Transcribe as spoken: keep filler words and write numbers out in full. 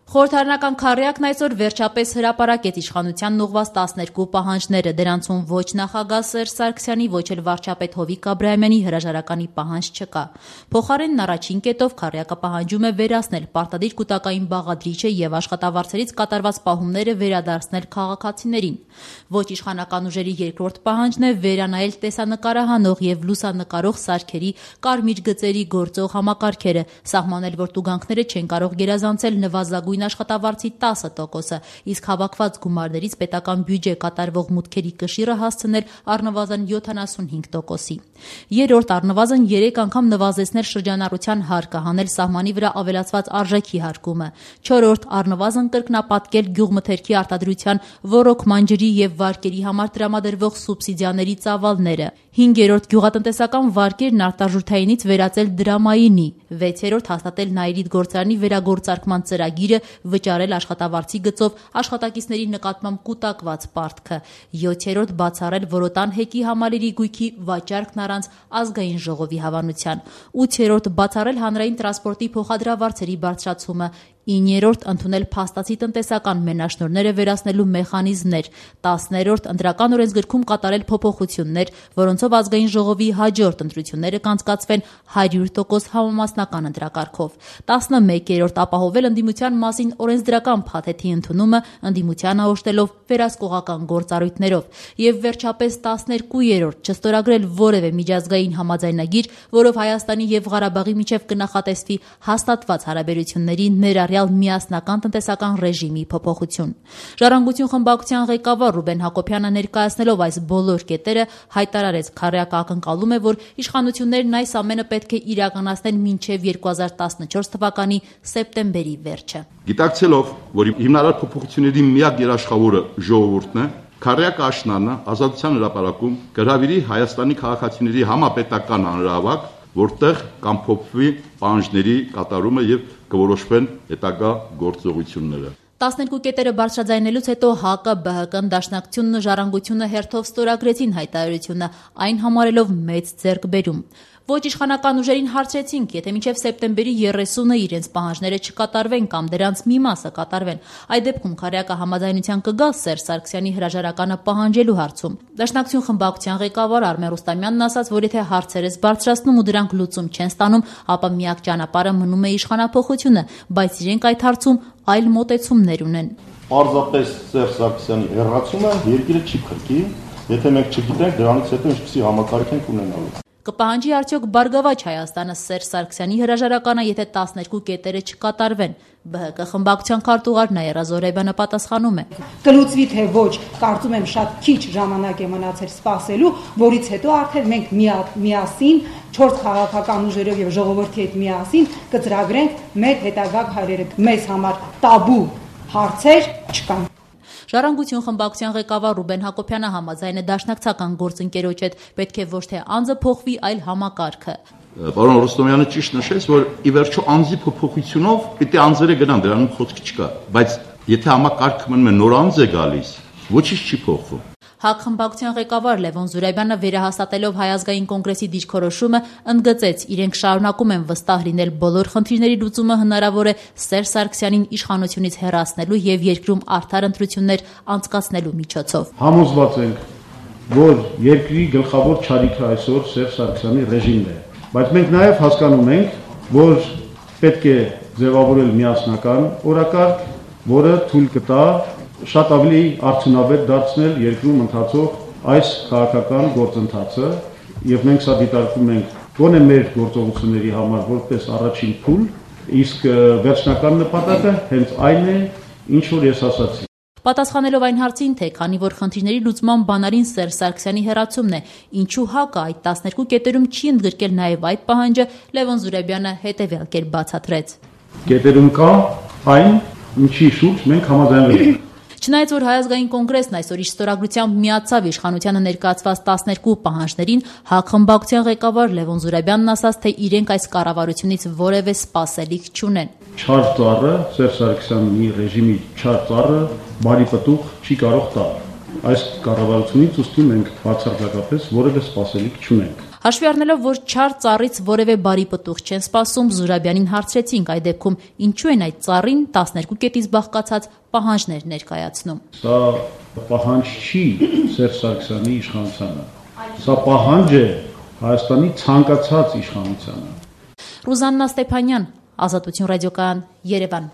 Խորհրդարանական քառյակն այսօր վերջապես հրապարակեց իշխանությանն ուղղված տասներկու պահանջները, դրանցում ոչ նախագահ Սերժ Սարգսյանի, ոչ էլ վարչապետ Հովիկ Աբրահամյանի հրաժարականի պահանջ չկա։ Փոխարենն առաջին կետով քառյակը պահանջում է վերացնել պարտադիր կուտակային բաղադրիչը եւ աշխատավարձերից կատարված պահումները վերադարձնել քաղաքացիներին։ Ոչ իշխանական ուժերի երկրորդ պահանջն է վերանայել տեսանկարահանող եւ լուսանկարող սարքերի կարմիր գծերի գործող համակարգերը, սահմանել, որ տուգանքները չեն կարող գերազանցել նվազագույն աշխատավարձի տասը տոկոսը, իսկ հավաքված գումարներից պետական բյուջե կատարվող մուտքերի կշիռը հասցնել առնվազն յոթանասունհինգ տոկոսի։ Երրորդ առնվազն երեք անգամ նվազեցնել շրջանառության հարկը, հանել սահմանի վրա ավելացված արժեքի հարկումը։ Չորրորդ առնվազն կրկնապատկել գյուղմթերքի արտադրության ոռոգման ջրի եւ վարկերի համար տրամադրվող սուբսիդիաների ծավալները։ Հինգերորդ գյուղատնտեսական վարկերն արտարժութայինից վերածել դրամայինի։ Վեցերորդ հաստատել Նաիրիդ գործարանի վերագործարկման ծրագիրը, վճարել աշխատավարձի գծով աշխատակիցների նկատմամբ կուտակված պարտքը։ Յոթերորդ բացառել Որոտան հեկի համալիրի գույքի վաճառքն առանց ազգային ժողովի հավանության։ Ութերորդ բացառել հանրային տրանսպորտի փոխադրավարձերի բարձրացումը։ Իններորդ ընդունել փաստացի տնտեսական մենաշնորհները վերացնելու մեխանիզմներ։ Տասներորդ ընտրական օրենսգրքում կատարել փոփոխություններ, որոնցով ազգային ժողովի հաջորդ ընտրությունները կանցկացվեն հարյուր տոկոս համամասնական ընտրակարգով։ Տասնմեկերորդ ապահովել ընդդիմության մասին օրենսդրական փաթեթի ընդունումը, ընդդիմությանը օժտելով վերահսկողական գործառույթներով։ Եվ վերջապես տասներկուերորդ չստորագրել որևէ միջազգային համաձայնագիր, որով Հայաստանի եւ Ղարաբաղի միջև կնախատեսվի հաստատված հարաբերությունների ներառյալ միասնական տնտեսական ռեժիմի փոփոխություն։ Ժառանգություն խմբակցության ղեկավար Ռուբեն Հակոբյանը ներկայացնելով այս բոլոր կետերը հայտարարեց, քառյակը ակնկալում է, որ իշխանություններն այս ամենը պետք է իրականացնեն մինչև երկու հազար տասնչորս թվականի սեպտեմբերի վերջը։ Գիտակցելով, որ հիմնարար փոփոխությունների միակ երաշխավորը ժողովուրդն է, քառյակը աշնանը Ազատության հրապարակում կհրավիրի Հայաստանի քաղաքացիների համապետական հանրահավաք, որտեղ կամփոփվի պահանջների կատարումը եւ կորոշվեն հետագա գործողությունները։ տասներկու կետերը բարձրաձայնելուց հետո ՀԱԿ-ը, ԲՀԿ-ն, Դաշնակցությունն ու Ժառանգությունը հերթով ստորագրեցին հայտարարությունը, այն համարելով մեծ ձեռքբերում։ Ոչ իշխանական ուժերին հարցրեցինք, եթե մինչև սեպտեմբերի երեսունը իրենց պահանջները չկատարվեն կամ դրանց մի մասը կատարվեն, այդ դեպքում քառյակը համաձայնության կգա Սերժ Սարգսյանի հրաժարականը պահանջելու հարցում։ Դաշնակցություն խմբակցության ղեկավար Արմեն Ռուստամյանն ասաց, որ եթե հարցերս բարձրացնում ու դրանք լուծում չեն ստանում, ապա միակ ճանապարհը մնում է իշխանափոխությունը, բայց իրենք այդ հարցում այլ մոտեցումներ ունեն։ Պարզապես Սերժ Սարգսյանի հեռացումը երկիրը չի փրկի, եթե մենք չգիտենք դրանից հետո ինչպիսի համակարգ ենք ունենալու։ Կպահանջի արդյոք Բարգավաճ Հայաստանը Սերժ Սարգսյանի հրաժարականը, եթե տասներկու կետերը չկատարվեն։ ԲՀԿ խմբակցության քարտուղար Նաիրա Զոհրաբյանը պատասխանում է. Կլուծվի թե ոչ, կարծում եմ շատ քիչ ժամանակ է մնացել սպասելու, որից հետո արդեն մենք միասին չորս քաղաքական ուժերով եւ ժողովրդի հետ միասին կծրագրենք մեր հետագա քայլերը։ Մեզ համար տաբու հարցեր չկան։ Ժառանգություն խմբակցության ղեկավար Ռուբեն Հակոբյանը համաձայն է դաշնակցական գործընկերոջ հետ, պետք է ոչ թե անձը փոխվի, այլ համակարգը։ Պարոն Ռոստոմյանը ճիշտ նշեց, որ ի վերջո անձի փոփոխությունով պիտի անձերը գնան, դրանում խոսք չկա, բայց եթե համակարգը մնում է նոր անձ է գալիս, ոչինչ չի փոխվում։ ՀԱԿ խմբակցության ղեկավար Լևոն Զուրաբյանը վերահաստատելով Հայ ազգային կոնգրեսի դիրքորոշումը ընդգծեց, իրենք շարունակում են վստահ լինել բոլոր խնդիրների լուծումը հնարավոր է Սերժ Սարգսյանին իշխանությունից հեռացնելու եւ երկրում արդար ընտրություններ անցկացնելու միջոցով։ Համոզված ենք, որ երկրի գլխավոր չարիքը այսօր Սերժ Սարգսյանի ռեժիմն է, բայց մենք նաեւ հասկանում ենք, որ պետք է ձևավորել միասնական օրակարգ, որը թույլ կտա շատ ավելի արդյունավետ դարձնել երկրում ընթացող այս քաղաքական գործընթացը եւ մենք սա դիտարկում ենք գոնե մեր գործողությունների համար որպես առաջին փուլ, իսկ վերջնական նպատակը հենց այն է, ինչ որ ես ասացի։ Պատասխանելով այն հարցին, թե քանի որ խնդիրների լուծման բանալին Սերժ Սարգսյանի հեռացումն է, ինչու ՀԱԿ-ը այդ տասներկու կետերում չի ընդգրկել նաեւ այդ պահանջը, Լևոն Զուրաբյանը հետեւյալ կերպ բացատրեց։ Կետերում կա այն, ինչի շուրջ մենք համաձայնվել ենք։ Չնայած որ Հայ ազգային կոնգրեսն այսօր իր ստորագրությամբ միացավ իշխանությանը ներկայացված տասներկու պահանջներին, ՀԱԿ խմբակցության ղեկավար Լևոն Զուրաբյանն ասաց, թե իրենք այս կառավարությունից որևէ սպասելիք չունեն։ Չար ծառը, Սերժ Սարգսյանի ռեժիմի չար ծառը բարի պտուղ չի կարող տալ։ Այս կառավարությունից ուստի մենք բացարձակապես որևէ սպասելիք չունենք։ Հաշվի առնելով, որ չար ծառից որևէ բարի պտուղ չեն սպասում, Զուրաբյանին հարցրեցինք այդ դեպքում ինչու են այդ ծառին տասներկու կետից բաղկացած պահանջներ ներկայացնում։ Սա պահանջ չի Սերժ Սարգսյանի իշխանությանը։ Սա պահանջ է Հայաստանի ցանկացած իշխանությանը։ Ռուզաննա Ստեփանյան, Ազատություն ռադիոկայան, Երևան։